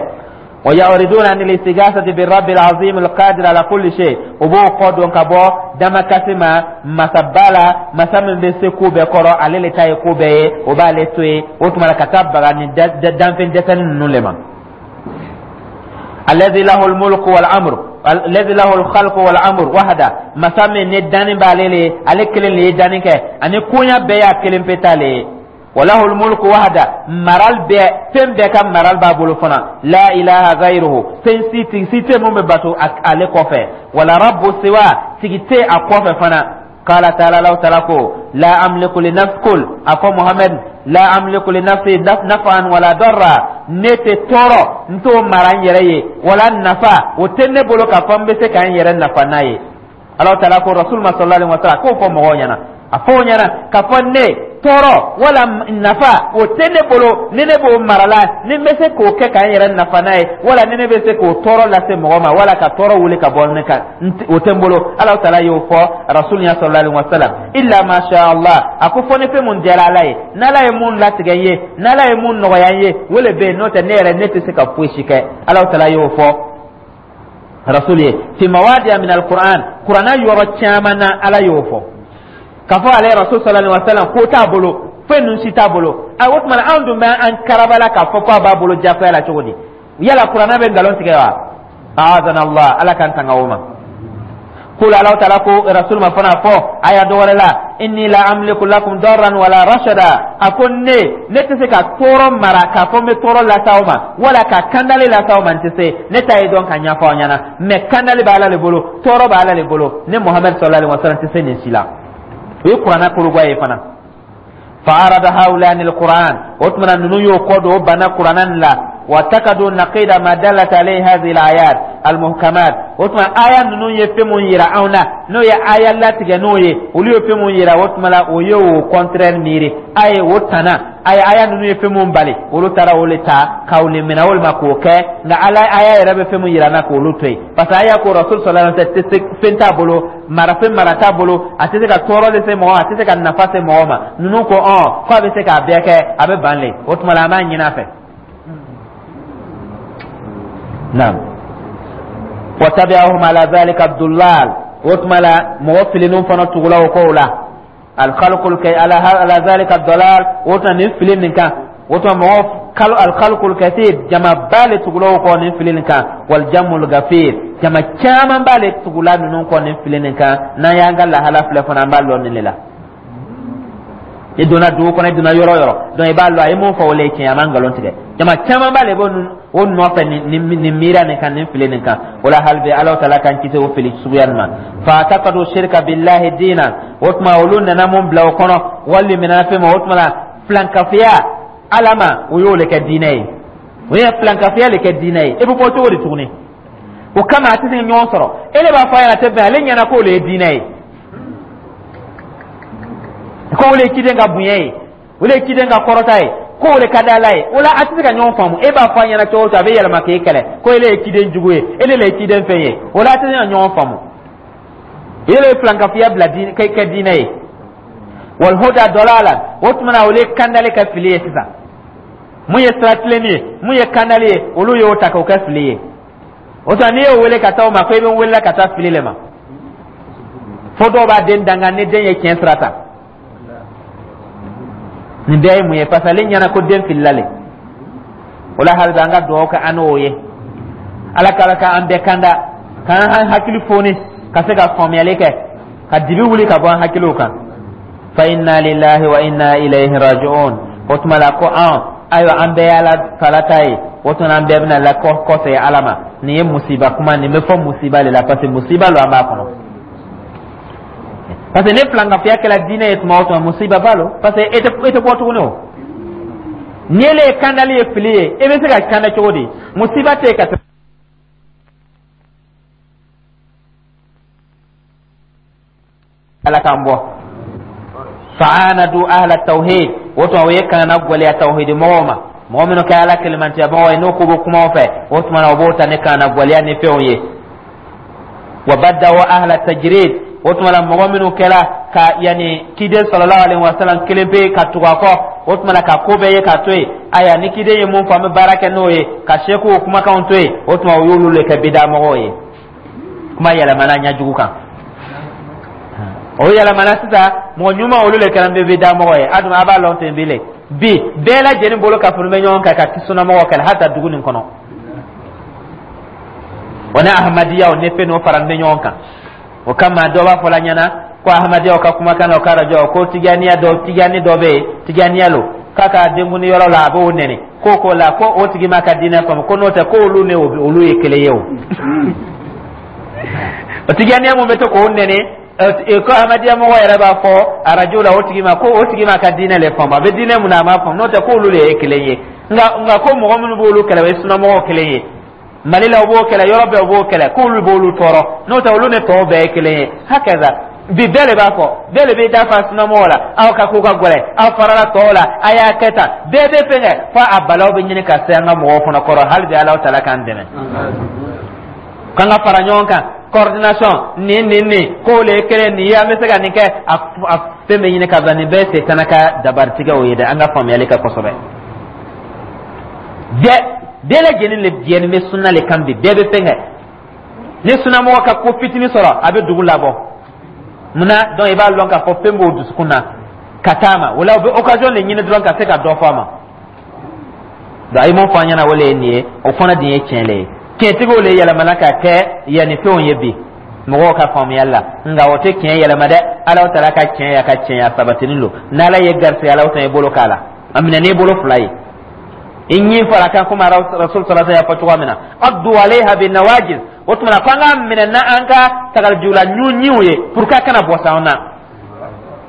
ويعرضون عن الاستغاثة بالرب العظيم القادر على كل شيء. O b'o kɔ dɔn ka bɔ damakasi ma masaba la, masa min bɛ se ko bɛɛ kɔrɔ, ale le ta ye ko bɛɛ ye, o b'ale to yen. O tuma la, ka taa baga ni danfɛn dɛsɛni ninnu le ma. الذي له الملك والامر، الذي له الخلق والامر وحده. Masa min ni danni b'ale le, ale kelen le ye danni kɛ, ani koɲa bɛɛ y'a kelen pe ta le ye. وله الملك وحده, maral bɛɛ, fɛn bɛɛ ka maral b'a bolo fana. لا إله غيره, fɛn si tigi si tɛ mun bɛ bato ale kɔfɛ. ولا رب سواه, tigi tɛ a kɔfɛ fana. قال تعالى, الله تعالى ko: لا أملك لنفسي، قل, a fɔ Muhammad: لا أملك لنفسي نفعا ولا ضرا. Ne tɛ tɔɔrɔ n t'o mara n yɛrɛ ye, wala nafa o tɛ ne bolo k'a fɔ n bɛ se ka n yɛrɛ nafa n'a ye. Ala taala ko rasul ma sallallahu alaihi wa sallam k'o fɔ mɔgɔw ɲɛna, a fɔ o ɲɛna k'a fɔ ne tɔɔrɔ wala nafa o tɛ ne bolo, ni ne b'o mara la, ni n bɛ se k'o kɛ k'an yɛrɛ nafa n'a ye, wala ni ne bɛ se k'o tɔɔrɔ lase mɔgɔ ma, wala ka tɔɔrɔ wuli ka bɔ ne kan, o tɛ n bolo. Ala taala y'o fɔ rasul ɲɛ sallallahu alaihi wa sallam. إلا ما شاء الله, a ko fɔ ni fɛn mun diyara Ala ye, n'Ala ye mun latigɛ n ye, n'Ala ye mun nɔgɔya n ye, o le bɛ yen. N'o tɛ, ne yɛrɛ ne tɛ se ka foyi si kɛ. Ala taala y'o fɔ rasul ye fi mawadi'a min alquran, Kuranna yɔrɔ caman na Ala y'o fɔ k'a fɔ ale rasul sallallahu alaihi wa sallam ko t'a bolo, foyi ninnu si t'a bolo. A o tuma na, anw dun bɛ an karabala k'a fɔ k'a b'a bolo jagoya la cogo di? Yala Kuranna bɛ nkalon tigɛ wa? أعاذنا الله, Ala k'an tanga o ma. قل, Ala taala ko rasul ma fana fɔ aya dɔ wɛrɛ la: إني لا أملك لكم ضرا ولا رشدا. A ko ne ne tɛ se ka tɔɔrɔ mara k'a fɔ n bɛ tɔɔrɔ lase aw ma, wala ka kandali lase aw ma, n tɛ se. Ne ta ye dɔn ka ɲɛfɔ aw ɲɛna, mais kandali bɛ Ala le bolo, tɔɔrɔ bɛ Ala le bolo. Ne Muhamadu sallallahu alaihi wa sallam tɛ se nin si la. O ye Kuranna kologoya ye fana. فأعرض هؤلاء عن القرآن, o tuma na ninnu y'o kɔ don, o banna Kuranna nin la. واعتقدوا نقيض ما دلت عليه هذه الآيات المحكمات. O tuma aya ninnu ye fɛn mun yira anw na, n'o ye aya latigɛ n'o ye, olu ye fɛn mun yira, o tuma la o ye o contraire miiri a ye o tana. A ye aya ninnu ye fɛn mun bali, olu taara o le ta k'aw le minɛ walima k'o kɛ, nka Ala aya yɛrɛ bɛ fɛn mun yira an na, k'olu to yen, parce que aya ko rasul sallallahu alaihi wasallam tɛ se, fɛn t'a bolo, marafɛn mara t'a bolo, a tɛ se ka tɔɔrɔ de se mɔgɔ ma, a tɛ se ka nafa se mɔgɔ ma. Ninnu ko ɔn ko a bɛ se k'a bɛɛ kɛ, a bɛ ban le. O tuma la, an b'a ɲini a fɛ. Naam. وتبعهم على ذلك الضلال, o tuma la mɔgɔ filinw fana tugula o kow la. الخلق الك على على ذلك الضلال, o tuma nin fili nin kan, o tuma mɔgɔ kalo الخلق الكثير, jamaba le tugula o kɔ nin fili nin kan. والجم الغفير, jama caman b'ale tugula ninnu kɔ nin fili nin kan. N'an y'an ka lahala filɛ fana, an b'a lɔn nin de la. I donna dugu kɔnɔ, i donna yɔrɔ yɔrɔ, donc i b'a lɔn a ye mun fɔ, o le ye tiɲɛ, a ma nkalon tigɛ. Jama caman b'ale b'o o nɔfɛ nin nin miiriya nin kan, nin fili nin kan. O la, hali bi Ala taala k'an kisi o fili suguya nin ma. فاعتقدوا الشرك بالله دينا, o tuma olu nana mun bila o kɔnɔ wali mina fɛn ma, o tuma la filankafiya Ala ma, o y'o le kɛ diinɛ ye, o ye filankafiya le kɛ diinɛ ye. E bɛ bɔ cogo di tuguni? O kama a tɛ se ɲɔgɔn sɔrɔ. E de b'a fɔ a ɲɛna, tɛ bɛn ale ɲɛna k'o le ye diinɛ ye. Ko o le ye ciden ka bonya ye, o le ye ciden ka kɔrɔta ye, ko o le ka di Ala ye. O la, a tɛ se ka ɲɔgɔn faamu. E b'a fɔ a ɲɛna cogo o cogo, a bɛ yɛlɛma k'e kɛlɛ ko ele ye ciden jugu ye, ele le ye ciden fɛn ye. O la, a tɛ se ka ɲɔgɔn faamu. Ele ye filankafoya bila kɛ diinɛ ye. Walhuda dɔlala, o tuma na, olu ye kandali kɛ fili ye. Sisan, mun ye sira tilenni ye, mun ye kandali ye, olu y'o ta k'o kɛ fili ye. O tuma, n'i y'o wele ka taa o ma ko i bɛ n wele ka taa fili le ma, fo dɔw b'a den danga ni den ye tiɲɛ sira ta. Nin bɛɛ ye mun ye? Parce que ale ɲɛna ko den filila le. O la, hali bi an ka dugawu kɛ an n'o ye. Ala ka ala ka an bɛɛ kanda, k'an hakili foni ka se ka faamuyali kɛ, ka dibi wuli ka bɔ an hakiliw kan. Fa inna lillahi wa inna ilayhi raji'un. O tuma la, ko an, ayiwa, an bɛɛ ye Ala tala ta ye. O tuma, an bɛɛ bɛna la kɔsegin Ala ma. Nin ye musiba kuma, nin bɛ fɔ musiba de la, parce que musiba lo an b'a kɔnɔ, parce que ne filankafoya kɛra diinɛ ye tuma o tuma, musiba ba lo, parce que e tɛ e tɛ bɔ tuguni. O ni ele ye kandali ye fili ye, e bɛ se ka kanda cogo di? Musiba tɛ yen ka tɛmɛ Ala k'an bɔ. Fa'anadu ahla tawhid, o tuma, o ye kana gwɛlɛya tawhidi mɔgɔw ma, mɔgɔ minnu kɛ Ala kelemantiya mɔgɔw ye, n'o ko bɛ kumaw fɛ. O tuma na, o b'o ta ni kana gwɛlɛya ni fɛnw ye. Wa baddaw ahla tajrid, o tuma la, mɔgɔ minnu kɛra ka yanni kiden sallallahu alaihi wasallam kelen pe ka tugu a kɔ, o tuma la, ka ko bɛɛ ye k'a to yen. Ayiwa, ni kiden ye mun fɔ, an bɛ baara kɛ n'o ye, ka sekuw kumakanw to yen, o tuma, o y'olu le kɛ bida mɔgɔw ye. Kuma yɛlɛmana ɲɛjugu kan, o yɛlɛmana sisan, mɔgɔ ɲuman, olu le kɛra bɛ bida mɔgɔ ye. A dun, a b'a lɔn ten bi le, bi bɛɛ lajɛlen bolo ka funu bɛ ɲɔgɔn kan ka sunamɔgɔw kɛlɛ, hali dugu nin kɔnɔ, o ni Ahmadiyaw ni fɛn n'o fara bɛ ɲɔgɔn kan. O kama, dɔ b'a fɔ la ɲɛna ko Ahmadiyaw ka kumakan na, o ka arajo ko Tijaniya dɔ, Tijani dɔ bɛ yen, Tijaniya lo, k'a ka denkuni yɔrɔ la, a b'o nɛni ko ko la, ko o tigi ma ka diinɛ faamu, ko n'o tɛ, ko olu ni olu ye kelen ye. O o Tijaniya mun bɛ to k'o nɛni, ko Ahmadiya mɔgɔ yɛrɛ b'a fɔ arajo la o tigi ma ko o tigi ma ka diinɛ le faamu, a bɛ diinɛ mun na, a m'a faamu, n'o tɛ, ko olu de ye kelen ye. nka nka ko mɔgɔ minnu b'olu kɛlɛ, o ye sunamɔgɔw kelen ye. Mali la, u b'o kɛlɛ, yɔrɔ bɛɛ u b'o kɛlɛ, k'olu b'olu tɔɔrɔ, n'o tɛ, olu ni tɔw bɛɛ ye kelen ye. Hakaza, bi bɛɛ de b'a fɔ, bɛɛ de b'i da fa sunamɔgɔw la: aw ka ko ka gɛlɛn, aw farala tɔw la, a y'a kɛ tan. Bɛɛ bɛ fɛn kɛ fo a balaw bɛ ɲini ka se an ka mɔgɔw fana kɔrɔ. Hali bi, Ala tala k'an dɛmɛ k'an ka fara ɲɔgɔn kan, coordination, nin nin nin k'o le ye kelen nin ye, an bɛ se ka nin kɛ. A fɛn bɛ ɲini ka bila, nin bɛɛ setana ka dabaritigɛw ye dɛ. An ka faamuyali kɛ kosɛbɛ. Bɛɛ bɛɛ lajɛlen le jɛni bɛ sunna le kan bi. Bɛɛ bɛ fɛn kɛ, ni sunnamɔgɔ ka ko fitinin sɔrɔ, a bɛ dugu labɔ. Munna? Donc i b'a lɔn k'a fɔ fɛn b'o dusukun na ka taa ma. O la, u bɛ occasion de ɲini dɔrɔn ka se ka dɔ fɔ a ma. Donc a ye mun fɔ an ɲɛna, o le ye nin ye. O fana dun ye tiɲɛ le ye. Tiɲɛtigiw le yɛlɛmana ka kɛ yanni fɛnw ye bi mɔgɔw ka faamuyali la, nka o tɛ tiɲɛ yɛlɛma dɛ. Ala taala ka tiɲɛ ya ka tiɲɛya sabatinin don. N'Ala ye garisɛgɛ, Ala ta i bolo k'a la, a minɛ n'i bolo fila ye, i ɲin fara kan, komi Rasul sallallahu y'a fɔ cogoya min na: addu alayha bin nawajiz. O tuma na, ko an k'a minɛ n'an ka tagalijula ɲinw ye pour que a kana bɔ s'an na.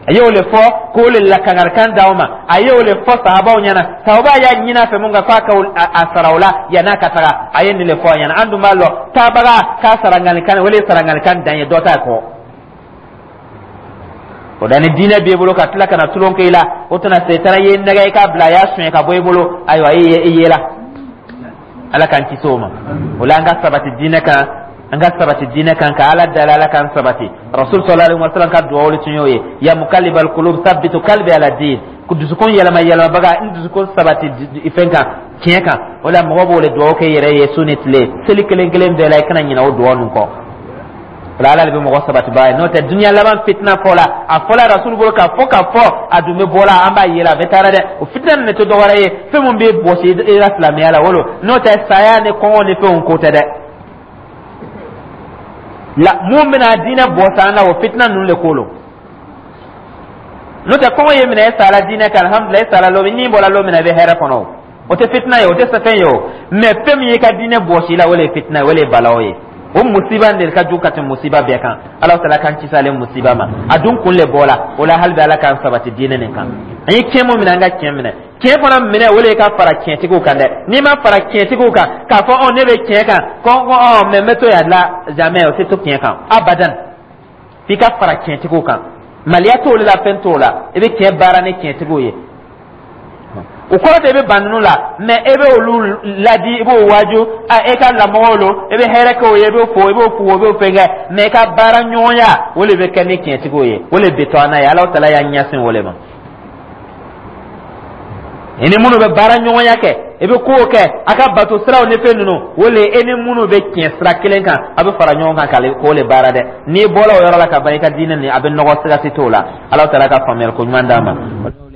A y'o le fɔ k'o le lakangarikan d'aw ma. A y'o le fɔ sahabaw ɲɛna. Sahaba y'a ɲini a fɛ mun kan, k'a ka a sara o la yann'a ka taga. A ye nin le fɔ a ɲɛna. An dun b'a lɔn, taabaga k'a sarangalikan, o le ye sarangalikan dan ye, dɔ t'a kɔ. O da ni diinɛ b'i bolo ka tila ka na tulon kɛ i la, o tɛna setana ye nɛgɛ i k'a bila, a y'a suɲɛ ka bɔ i bolo. Ayiwa, i ye i yela. Ala k'an kisi o ma. O la, an ka sabati diinɛ kan, an ka sabati diinɛ kan, ka Ala dali, Ala k'an sabati. Rasul sallallahu alaihi wasallam ka duwawu tun y'o ye: ya muqallibal qulub sabbitu qalbi ala din. Ko dusukun yɛlɛma yɛlɛmabaga, n dusukun sabati fɛn kan, tiɲɛ kan. O la, mɔgɔ b'o le duwawu kɛ yɛrɛ ye su ni tile, seli kelen kelen bɛɛ la. I kana ɲinɛ o duwawu ninnu kɔ. O la, Ala de bɛ mɔgɔ sabatibaga ye. N'o tɛ, dunuya laban fitina fɔ la, a fɔla Rasul bolo k'a fɔ k'a fɔ, a dun bɛ bɔ la, an b'a ye la, a bɛ taara dɛ. O fitina nin tɛ dɔwɛrɛ ye, fɛn min bɛ bɔsi i la silamɛya la, wolo n'o tɛ, saya ni kɔngɔ ni fɛnw ko tɛ dɛ. La mun bɛna diinɛ bɔ san na, o fitina ninnu de ko lo. N'o tɛ, kɔngɔ ye minɛ, e sara diinɛ kan, alhamdulilah, e sara lon ni bɔra lon min na, i bɛ hɛrɛ kɔnɔ. O o tɛ fitina ye, o tɛ fɛn ye o. Mɛ fɛn min y'i ka diinɛ bɔsi la, o de ye fitina ye, o de ye balaw ye. O musiba de ka jugu ka tɛmɛ musiba bɛɛ kan. Ala taala k'an kisi ale musiba ma. A dun kun le bɔra o la. Hali bi, Ala k'an sabati diinɛ nin kan. An ye tiɲɛ mun minɛ, an ka tiɲɛ minɛ, tiɲɛ fana minɛ, o de ye ka fara tiɲɛtigiw kan dɛ. N'i ma fara tiɲɛtigiw kan, k'a fɔ ɔ ne bɛ tiɲɛ kan, ko ɔ mɛ n bɛ to yan la, jamais, o tɛ to tiɲɛ kan abadan. F'i ka fara tiɲɛtigiw kan. Maliya t'olu la, fɛn t'o la. I bɛ tiɲɛ baara ni tiɲɛtigiw ye, o kɔrɔ tɛ i bɛ ban ninnu la, mais e bɛ olu ladi, i b'o waaju a e ka lamɔgɔw lo, i bɛ hɛrɛ kɛ o ye, i b'o fo, i b'o fo, i b'o fɛn kɛ, mais i ka baara ɲɔgɔnya, o de bɛ kɛ ni tiɲɛtigiw ye. O de bɛ to an n'a ye. Alahu Taala y'an ɲɛsin o de ma. I ni minnu bɛ baara ɲɔgɔnya kɛ, i bɛ kow kɛ a ka bato siraw ni fɛn ninnu, o le e ni minnu bɛ tiɲɛ sira kelen kan, a bɛ fara ɲɔgɔn kan k'ale k'o le baara dɛ. N'i bɔra o yɔrɔ la ka ban, i ka diinɛ nin a bɛ nɔgɔ, siga si t'o la. Alahu Taala ka faamuyali ko ɲuman d'a ma.